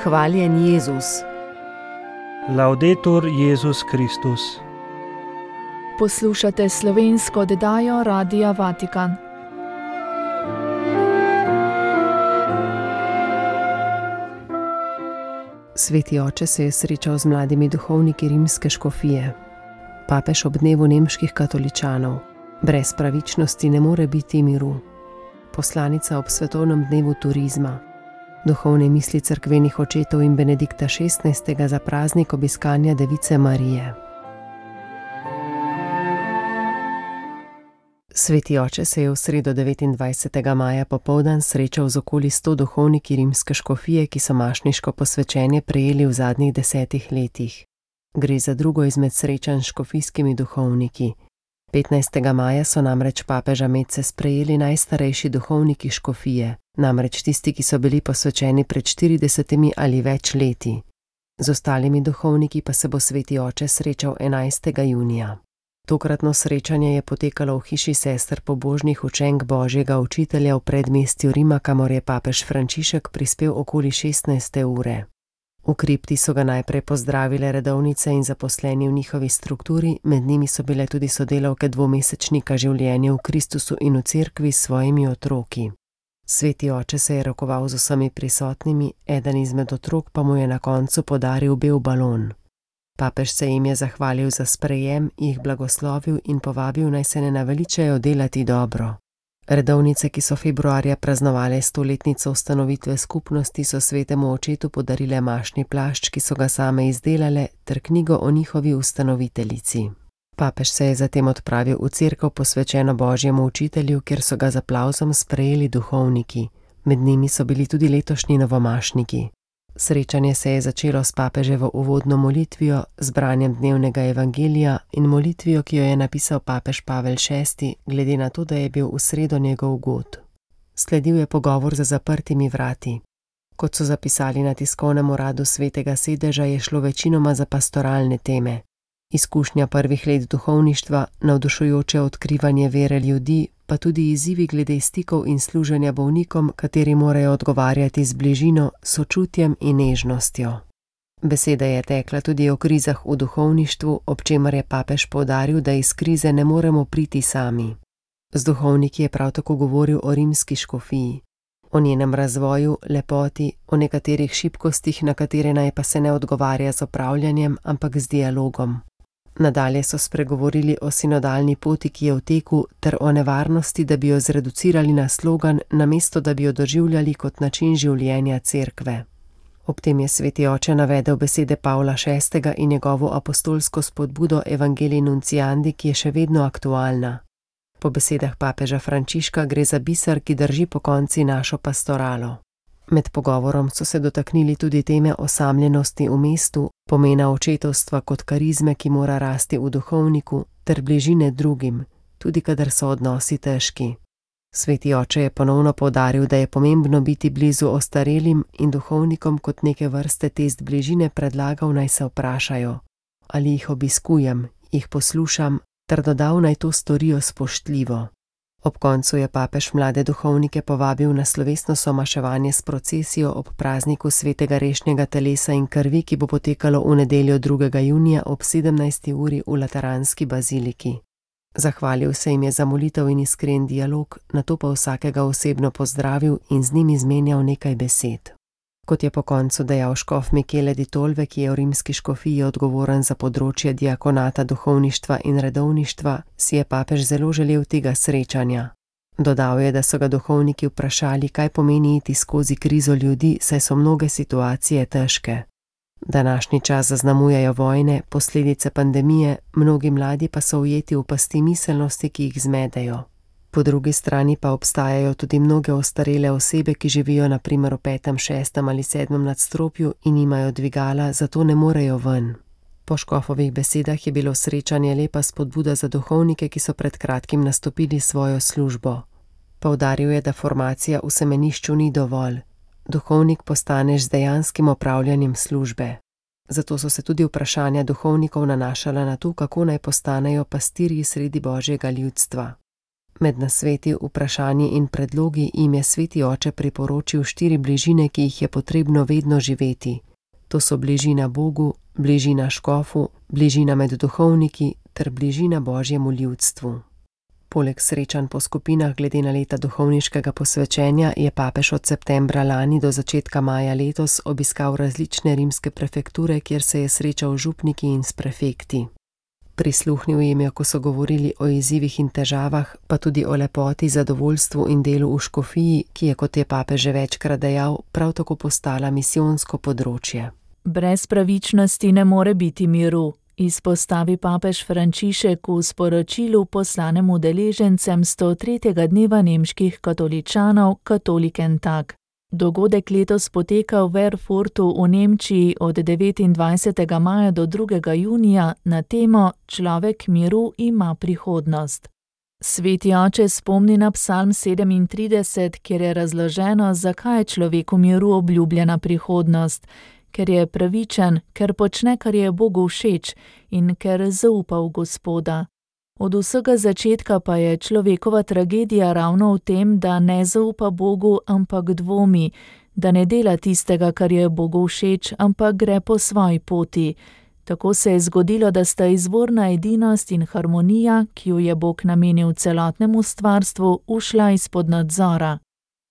Hvaljen Jezus. Laudetur Jezus Kristus. Poslušate slovensko oddajo Radia Vatikan. Sveti oče se je srečal z mladimi duhovniki rimske škofije. Papež ob dnevu nemških katoličanov. Brez pravičnosti ne more biti miru. Poslanica ob svetovnem dnevu turizma. Duhovne misli cerkvenih očetov in Benedikta XVI. Za praznik obiskanja Device Marije. Sveti oče se je v sredo 29. maja popoldan srečal z okoli 100 duhovniki rimske škofije, ki so mašniško posvečenje prejeli v zadnjih 10 letih. Gre za drugo izmed srečanj s škofijskimi duhovniki. 15. maja so namreč papeža Metce sprejeli najstarejši duhovniki škofije, namreč tisti, ki so bili posvečeni pred 40 ali več leti. Z ostalimi duhovniki pa se bo sveti oče srečal 11. junija. Tokratno srečanje je potekalo v hiši sester pobožnih učenk Božjega učitelja v predmestju Rima, kamor je papež Frančišek prispel okoli 16. ure. V kripti so ga najprej pozdravile redovnice in zaposleni v njihovi strukturi, med njimi so bile tudi sodelavke dvomesečnika življenja v Kristusu in v cerkvi s svojimi otroki. Sveti oče se je rokoval z vsemi prisotnimi, eden izmed otrok pa mu je na koncu podaril bel balon. Papež se jim je zahvalil za sprejem, jih blagoslovil in povabil, naj se ne naveličajo delati dobro. Redovnice, ki so februarja praznovale 100-letnico ustanovitve skupnosti, so svetemu očetu podarile mašni plašč, ki so ga same izdelale, ter knjigo o njihovi ustanoviteljici. Papež se je zatem odpravil v cerkev posvečeno Božjemu učitelju, kjer so ga z aplavzom sprejeli duhovniki. Med njimi so bili tudi letošnji novomašniki. Srečanje se je začelo s papeževo uvodno molitvijo, z branjem dnevnega evangelija in molitvijo, ki jo je napisal papež Pavel VI, glede na to, da je bil v sredo njegov god. Sledil je pogovor za zaprtimi vrati. Kot so zapisali na tiskovnem uradu Svetega sedeža, je šlo večinoma za pastoralne teme. Izkušnja prvih let duhovništva, navdušujoče odkrivanje vere ljudi, pa tudi izzivi glede stikov in služenja bolnikom, kateri morajo odgovarjati z bližino, sočutjem in nežnostjo. Beseda je tekla tudi o krizah v duhovništvu, ob čemer je papež poudaril, da iz krize ne moremo priti sami. Z duhovniki je prav tako govoril o rimski škofiji, o njenem razvoju, lepoti, o nekaterih šibkostih, na katere naj pa se ne odgovarja z opravljanjem, ampak z dialogom. Nadalje so spregovorili o sinodalni poti, ki je v teku, ter o nevarnosti, da bi jo zreducirali na slogan, namesto da bi jo doživljali kot način življenja cerkve. Ob tem je sveti oče navedel besede Pavla VI. In njegovo apostolsko spodbudo Evangelii Nunciandi, ki je še vedno aktualna. Po besedah papeža Frančiška gre za biser, ki drži pokonci našo pastoralo. Med pogovorom so se dotaknili tudi teme osamljenosti v mestu, pomena očetovstva kot karizme, ki mora rasti v duhovniku, ter bližine drugim, tudi kadar so odnosi težki. Sveti oče je ponovno poudaril, da je pomembno biti blizu ostarelim in duhovnikom kot neke vrste test bližine predlagal, naj se vprašajo, ali jih obiskujem, jih poslušam, ter dodal, naj to storijo spoštljivo. Ob koncu je papež mlade duhovnike povabil na slovesno somaševanje s procesijo ob prazniku svetega rešnjega telesa in krvi, ki bo potekalo v nedeljo 2. junija ob 17. uri v Lateranski baziliki. Zahvalil se jim je za molitev in iskren dialog, nato pa vsakega osebno pozdravil in z njim izmenjal nekaj besed. Kot je po koncu dejal škof Michele di Tolve, ki je v rimski škofiji odgovoren za področje diakonata, duhovništva in redovništva, si je papež zelo želel tega srečanja. Dodal je, da so ga duhovniki vprašali, kaj pomeni iti skozi krizo ljudi, saj so mnoge situacije težke. Današnji čas zaznamujejo vojne, posledice pandemije, mnogi mladi pa so ujeti v pasti miselnosti, ki jih zmedejo. Po drugi strani pa obstajajo tudi mnoge ostarele osebe, ki živijo na primer v 5., 6. ali 7. nadstropju in imajo dvigala, zato ne morejo ven. Po škofovih besedah je bilo srečanje lepa spodbuda za duhovnike, ki so pred kratkim nastopili svojo službo. Poudaril je, da formacija v semenišču ni dovolj. Duhovnik postaneš z dejanskim opravljanjem službe. Zato so se tudi vprašanja duhovnikov nanašala na to, kako naj postanejo pastirji sredi Božjega ljudstva. Med nasveti, vprašanji in predlogi jim je sveti oče priporočil 4 bližine, ki jih je potrebno vedno živeti. To so bližina Bogu, bližina škofu, bližina med duhovniki ter bližina Božjemu ljudstvu. Poleg srečanj po skupinah glede na leta duhovniškega posvečenja je papež od septembra lani do začetka maja letos obiskal različne rimske prefekture, kjer se je srečal z župniki in s prefekti. Prisluhnil jim je, ko so govorili o izzivih in težavah, pa tudi o lepoti, zadovoljstvu in delu v škofiji, ki je, kot je papež že večkrat dejal, prav tako postala misijonsko področje. Brez pravičnosti ne more biti miru, izpostavi papež Frančišek v sporočilu poslanem udeležencem 103. dneva nemških katoličanov Katoliken Tag. Dogodek letos poteka v Erfurtu v Nemčiji od 29. maja do 2. junija na temo Človek miru ima prihodnost. Sveti oče spomni na Psalm 37, kjer je razloženo, zakaj je človeku miru obljubljena prihodnost, ker je pravičen, ker počne, kar je Bogu všeč in ker zaupa v Gospoda. Od vsega začetka pa je človekova tragedija ravno v tem, da ne zaupa Bogu, ampak dvomi, da ne dela tistega, kar je Bogu všeč, ampak gre po svoji poti. Tako se je zgodilo, da sta izvorna edinost in harmonija, ki jo je Bog namenil celotnemu stvarstvu, ušla izpod nadzora.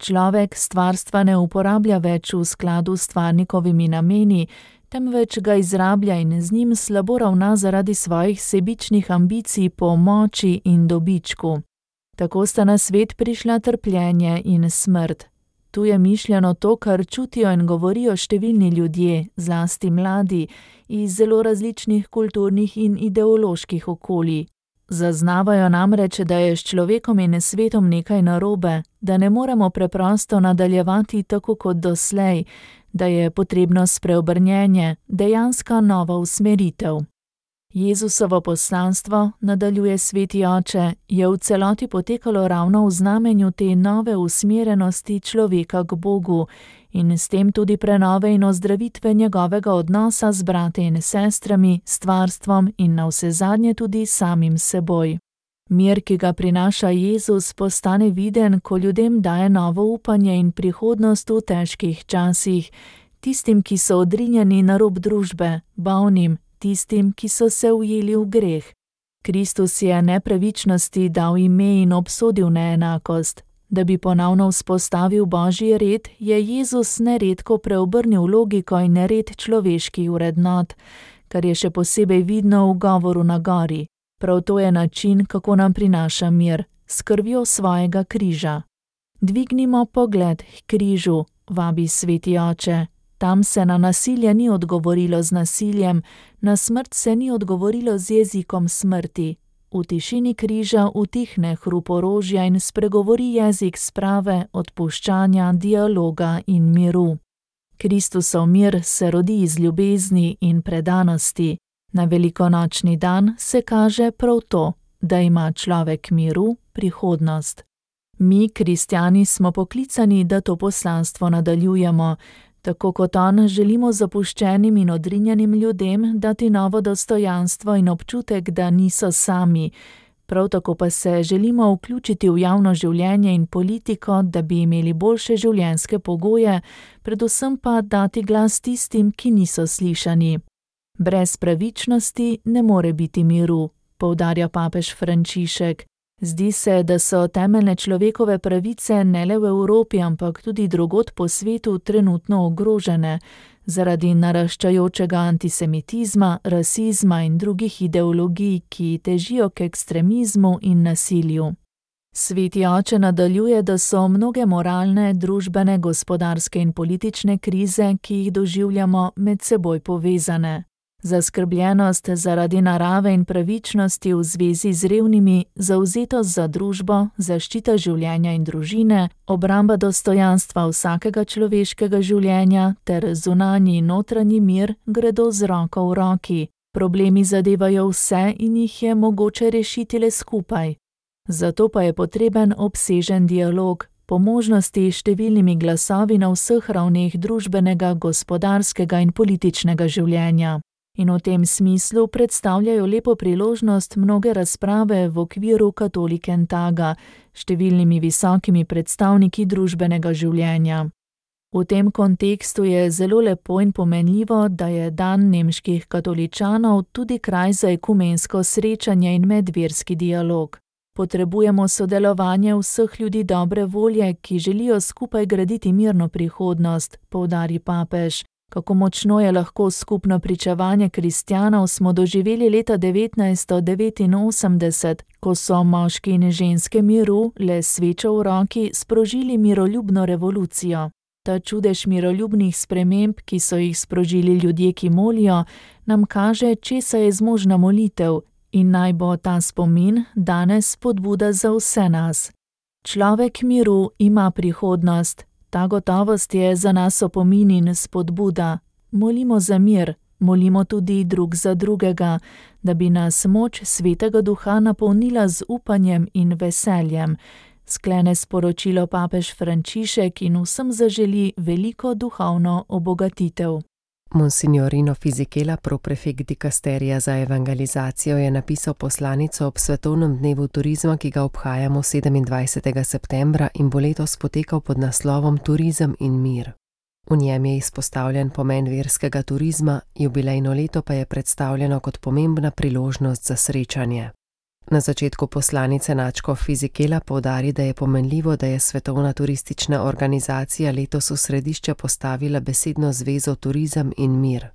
Človek stvarstva ne uporablja več v skladu s stvarnikovimi nameni, temveč ga izrablja in z njim slabo ravna zaradi svojih sebičnih ambicij po moči in dobičku. Tako sta na svet prišla trpljenje in smrt. Tu je mišljeno to, kar čutijo in govorijo številni ljudje, zlasti mladi, iz zelo različnih kulturnih in ideoloških okolij. Zaznavajo namreč, da je s človekom in svetom nekaj narobe, da ne moremo preprosto nadaljevati tako kot doslej, da je potrebno spreobrnjenje, dejanska nova usmeritev. Jezusovo poslanstvo, nadaljuje sveti oče, je v celoti potekalo ravno v znamenju te nove usmerjenosti človeka k Bogu in s tem tudi prenove in ozdravitve njegovega odnosa z brati in sestrami, stvarstvom in navsezadnje tudi samim seboj. Mir, ki ga prinaša Jezus, postane viden, ko ljudem daje novo upanje in prihodnost v težkih časih, tistim, ki so odrinjeni na rob družbe, bolnim, tistim, ki so se ujeli v greh. Kristus je nepravičnosti dal ime in obsodil neenakost. Da bi ponovno vzpostavil Božji red, je Jezus neredko preobrnil logiko in red človeških vrednot, kar je še posebej vidno v govoru na gori. Prav to je način, kako nam prinaša mir, s krvjo svojega križa. Dvignimo pogled k križu, vabi sveti oče. Tam se na nasilje ni odgovorilo z nasiljem, na smrt se ni odgovorilo z jezikom smrti. V tišini križa utihne hrup orožja in spregovori jezik sprave, odpuščanja, dialoga in miru. Kristusov mir se rodi iz ljubezni in predanosti. Na velikonočni dan se kaže prav to, da ima človek miru prihodnost. Mi, kristjani, smo poklicani, da to poslanstvo nadaljujemo. Tako kot on, želimo zapuščenim in odrinjenim ljudem dati novo dostojanstvo in občutek, da niso sami. Prav tako pa se želimo vključiti v javno življenje in politiko, da bi imeli boljše življenjske pogoje, predvsem pa dati glas tistim, ki niso slišani. Brez pravičnosti ne more biti miru, poudarja papež Frančišek. Zdi se, da so temeljne človekove pravice ne le v Evropi, ampak tudi drugod po svetu trenutno ogrožene zaradi naraščajočega antisemitizma, rasizma in drugih ideologij, ki težijo k ekstremizmu in nasilju. Sveti oče nadaljuje, da so mnoge moralne, družbene, gospodarske in politične krize, ki jih doživljamo, med seboj povezane. Zaskrbljenost zaradi narave in pravičnosti v zvezi z revnimi, zavzetost za družbo, zaščita življenja in družine, obramba dostojanstva vsakega človeškega življenja ter zunanji in notranji mir gredo z roko v roki. Problemi zadevajo vse in jih je mogoče rešiti le skupaj. Zato pa je potreben obsežen dialog, po možnosti številnimi glasovi na vseh ravneh družbenega, gospodarskega in političnega življenja. in v tem smislu predstavljajo lepo priložnost mnoge razprave v okviru Katholikentaga, številnimi visokimi predstavniki družbenega življenja. V tem kontekstu je zelo lepo in pomenljivo, da je dan nemških katoličanov tudi kraj za ekumensko srečanje in medverski dialog. Potrebujemo sodelovanje vseh ljudi dobre volje, ki želijo skupaj graditi mirno prihodnost, poudari papež. Kako močno je lahko skupno pričevanje kristjanov, smo doživeli leta 1989, ko so moški in ženske miru, le svečo v roki, sprožili miroljubno revolucijo. Ta čudež miroljubnih sprememb, ki so jih sprožili ljudje, ki molijo, nam kaže, česa je zmožna molitev, in naj bo ta spomin danes spodbuda za vse nas. Človek miru ima prihodnost. Ta gotovost je za nas opomin in spodbuda. Molimo za mir, molimo tudi drug za drugega, da bi nas moč Svetega Duha napolnila z upanjem in veseljem. Sklene sporočilo papež Frančišek in vsem zaželi veliko duhovno obogatitev. Monsignor Rino Fisichella, proprefekt dikasterija za evangelizacijo, je napisal poslanico ob svetovnem dnevu turizma, ki ga obhajamo 27. septembra in bo letos potekal pod naslovom Turizem in mir. V njem je izpostavljen pomen verskega turizma, jubilejno leto pa je predstavljeno kot pomembna priložnost za srečanje. Na začetku poslanice nadškof Fisichella poudari, da je pomenljivo, da je Svetovna turistična organizacija letos v središče postavila besedno zvezo turizem in mir.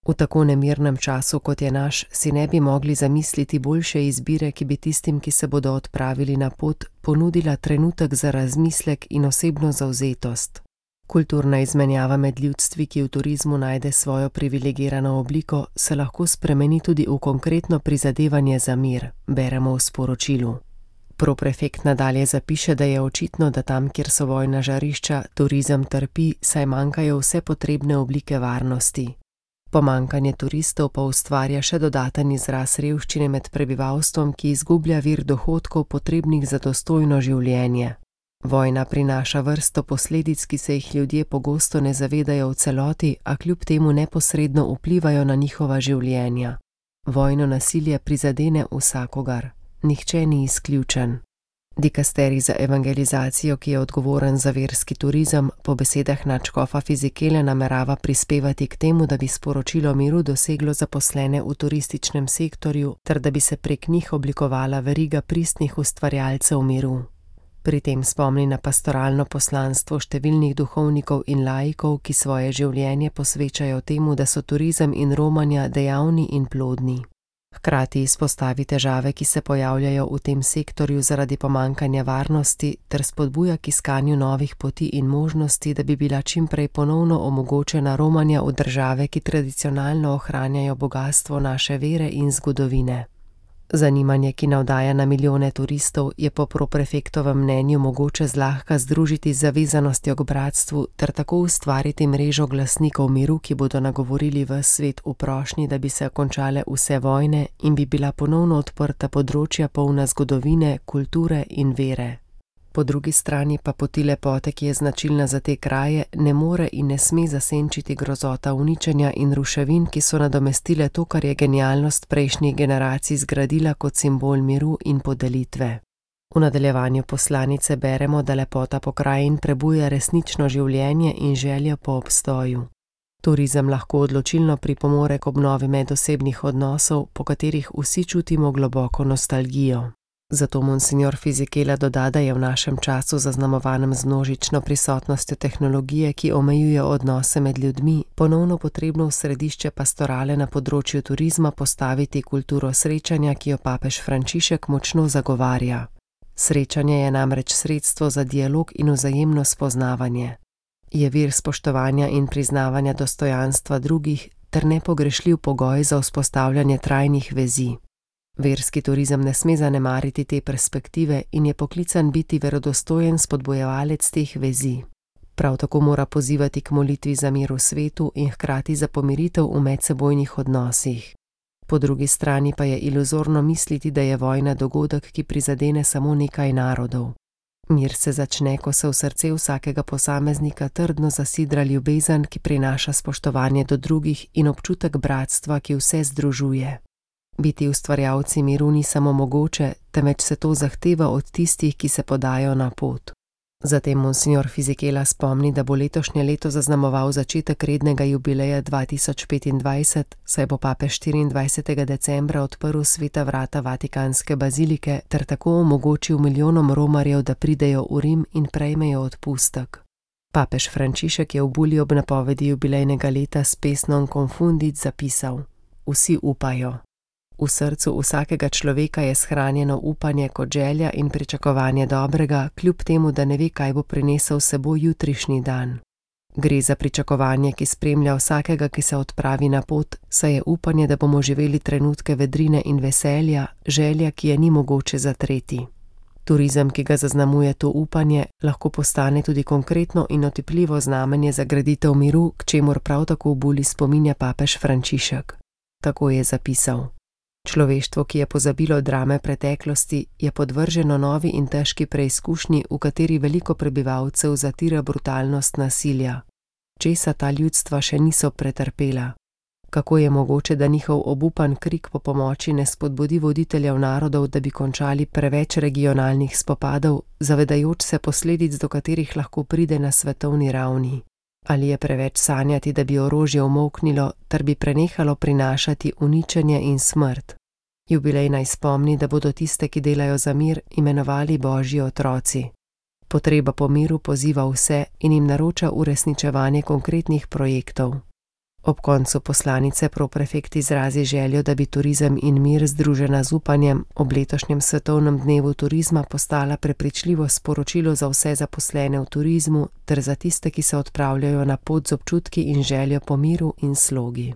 V tako nemirnem času, kot je naš, si ne bi mogli zamisliti boljše izbire, ki bi tistim, ki se bodo odpravili na pot, ponudila trenutek za razmislek in osebno zavzetost. Kulturna izmenjava med ljudstvi, ki v turizmu najde svojo privilegirano obliko, se lahko spremeni tudi v konkretno prizadevanje za mir, beremo v sporočilu. Proprefekt nadalje zapiše, da je očitno, da tam, kjer so vojna žarišča, turizem trpi, saj manjkajo vse potrebne oblike varnosti. Pomanjkanje turistov pa ustvarja še dodaten izraz revščine med prebivalstvom, ki izgublja vir dohodkov potrebnih za dostojno življenje. Vojna prinaša vrsto posledic, ki se jih ljudje pogosto ne zavedajo v celoti, a kljub temu neposredno vplivajo na njihova življenja. Vojno nasilje prizadene vsakogar, nihče ni izključen. Dikasterij za evangelizacijo, ki je odgovoren za verski turizem, po besedah nadškofa Fisichelle namerava prispevati k temu, da bi sporočilo miru doseglo zaposlene v turističnem sektorju, ter da bi se prek njih oblikovala veriga pristnih ustvarjalcev miru. Pri tem spomni na pastoralno poslanstvo številnih duhovnikov in laikov, ki svoje življenje posvečajo temu, da so turizem in romanja dejavni in plodni. Hkrati izpostavi težave, ki se pojavljajo v tem sektorju zaradi pomanjkanja varnosti, ter spodbuja k iskanju novih poti in možnosti, da bi bila čimprej ponovno omogočena romanja v države, ki tradicionalno ohranjajo bogastvo naše vere in zgodovine. Zanimanje, ki navdaja na milijone turistov, je po proprefektovem mnenju mogoče zlahka združiti z zavezanostjo k bratstvu ter tako ustvariti mrežo glasnikov miru, ki bodo nagovorili ves svet v prošnji, da bi se končale vse vojne in bi bila ponovno odprta področja polna zgodovine, kulture in vere. Po drugi strani pa poti lepote, ki je značilna za te kraje, ne more in ne sme zasenčiti grozota uničenja in ruševin, ki so nadomestile to, kar je genialnost prejšnjih generacij zgradila kot simbol miru in podelitve. V nadaljevanju poslanice beremo, da lepota pokrajin prebuja resnično življenje in željo po obstoju. Turizem lahko odločilno pripomore k obnovi medosebnih odnosov, po katerih vsi čutimo globoko nostalgijo. Zato monsignor Fisichella doda, da je v našem času zaznamovanem z množično prisotnostjo tehnologije, ki omejuje odnose med ljudmi, ponovno potrebno v središče pastorale na področju turizma postaviti kulturo srečanja, ki jo papež Frančišek močno zagovarja. Srečanje je namreč sredstvo za dialog in vzajemno spoznavanje. Je vir spoštovanja in priznavanja dostojanstva drugih ter nepogrešljiv pogoj za vzpostavljanje trajnih vezi. Verski turizem ne sme zanemariti te perspektive in je poklican biti verodostojen spodbujevalec teh vezi. Prav tako mora pozivati k molitvi za mir v svetu in hkrati za pomiritev v medsebojnih odnosih. Po drugi strani pa je iluzorno misliti, da je vojna dogodek, ki prizadene samo nekaj narodov. Mir se začne, ko se v srce vsakega posameznika trdno zasidra ljubezen, ki prinaša spoštovanje do drugih in občutek bratstva, ki vse združuje. Biti ustvarjalci miru ni samo mogoče, temveč se to zahteva od tistih, ki se podajo na pot. Zatem monsignor Fisichella spomni, da bo letošnje leto zaznamoval začetek rednega jubileja 2025, saj bo papež 24. decembra odprl sveta vrata Vatikanske bazilike ter tako omogočil milijonom romarjev, da pridejo v Rim in prejmejo odpustek. Papež Frančišek je v bulji ob napovedi jubilejnega leta s pesnom Confundit zapisal: Vsi upajo. V srcu vsakega človeka je shranjeno upanje kot želja in pričakovanje dobrega, kljub temu, da ne ve, kaj bo prinesel s seboj jutrišnji dan. Gre za pričakovanje, ki spremlja vsakega, ki se odpravi na pot, saj je upanje, da bomo živeli trenutke vedrine in veselja, želja, ki je ni mogoče zatreti. Turizem, ki ga zaznamuje to upanje, lahko postane tudi konkretno in otipljivo znamenje za graditev miru, k čemur prav tako v bulji spominja papež Frančišek. Tako je zapisal: Človeštvo, ki je pozabilo drame preteklosti, je podvrženo novi in težki preizkušnji, v kateri veliko prebivalcev zatira brutalnost nasilja. Česa ta ljudstva še niso pretrpela? Kako je mogoče, da njihov obupan krik po pomoči ne spodbudi voditeljev narodov, da bi končali preveč regionalnih spopadov, zavedajoč se posledic, do katerih lahko pride na svetovni ravni? Ali je preveč sanjati, da bi orožje umolknilo, ter bi prenehalo prinašati uničenje in smrt? Jubilej naj spomni, da bodo tiste, ki delajo za mir, imenovali Božji otroci. Potreba po miru poziva vse in jim naroča uresničevanje konkretnih projektov. Ob koncu poslanice proprefekt izrazi željo, da bi turizem in mir združena z upanjem ob letošnjem svetovnem dnevu turizma postala prepričljivo sporočilo za vse zaposlene v turizmu ter za tiste, ki se odpravljajo na pot z občutki in željo po miru in slogi.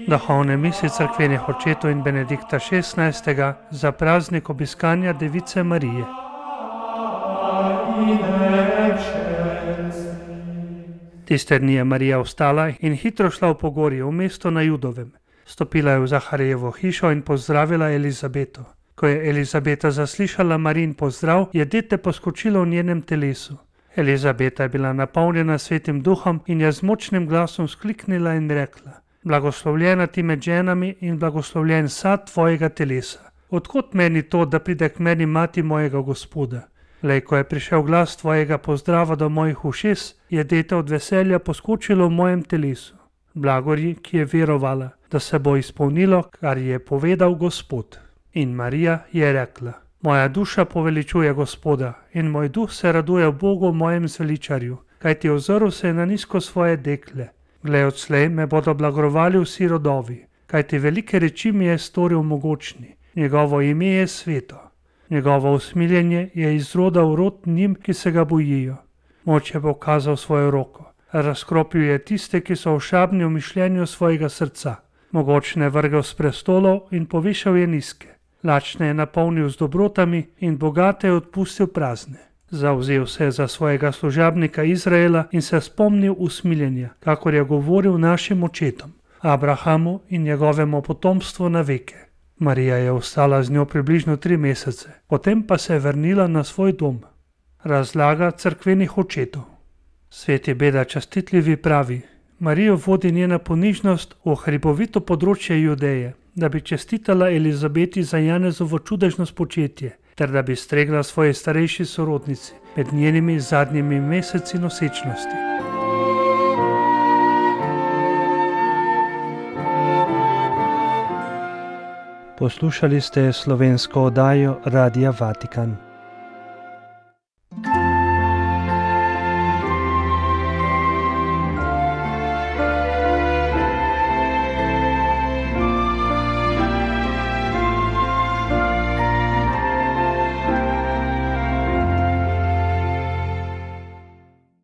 Duhovne mise cerkvenih očetov in Benedikta XVI. Za praznik obiskanja Device Marije. Tiste dni je Marija vstala in hitro šla v pogorje, v mesto na Judovem. Stopila je v Zaharijevo hišo in pozdravila Elizabeto. Ko je Elizabeta zaslišala Marijin pozdrav, je dete poskočilo v njenem telesu. Elizabeta je bila napolnjena Svetim Duhom in je z močnim glasom skliknila in rekla: Blagoslovljena ti med ženami in blagoslovljen sad tvojega telesa. Odkot meni to, da pride k meni mati mojega Gospoda? Lej, ko je prišel glas tvojega pozdrava do mojih ušes, je dete od veselja poskočilo v mojem telesu. Blagorji, ki je verovala, da se bo izpolnilo, kar je povedal Gospod. In Marija je rekla: Moja duša poveličuje Gospoda in moj duh se raduje v Bogu, mojem zveličarju, kajti ozrl se je na nizko svoje dekle. Glej, odslej me bodo blagrovali vsi rodovi, kajti velike reči mi je storil mogočni, njegovo ime je sveto. Njegovo usmiljenje je iz roda v rod njim, ki se ga bojijo. Moč je pokazal svojo roko, razkropil je tiste, ki so ošabni v mišljenju svojega srca. Mogočne vrgel s prestolov in povišal je nizke. Lačne je napolnil z dobrotami in bogate je odpustil prazne. Zavzel se je za svojega služabnika Izraela in se spomnil usmiljenja, kakor je govoril našim očetom, Abrahamu in njegovemu potomstvu na veke. Marija je ostala z njo približno 3 mesece, potem pa se je vrnila na svoj dom. Razlaga cerkvenih očetov. Sveti Beda častitljivi pravi: Marijo vodi njena ponižnost v hribovito področje Judeje, da bi čestitala Elizabeti za Janezovo čudežno spočetje, ter da bi stregla svoji starejši sorodnici med njenimi zadnjimi meseci nosečnosti. Poslušali ste slovensko oddajo Radia Vatikan.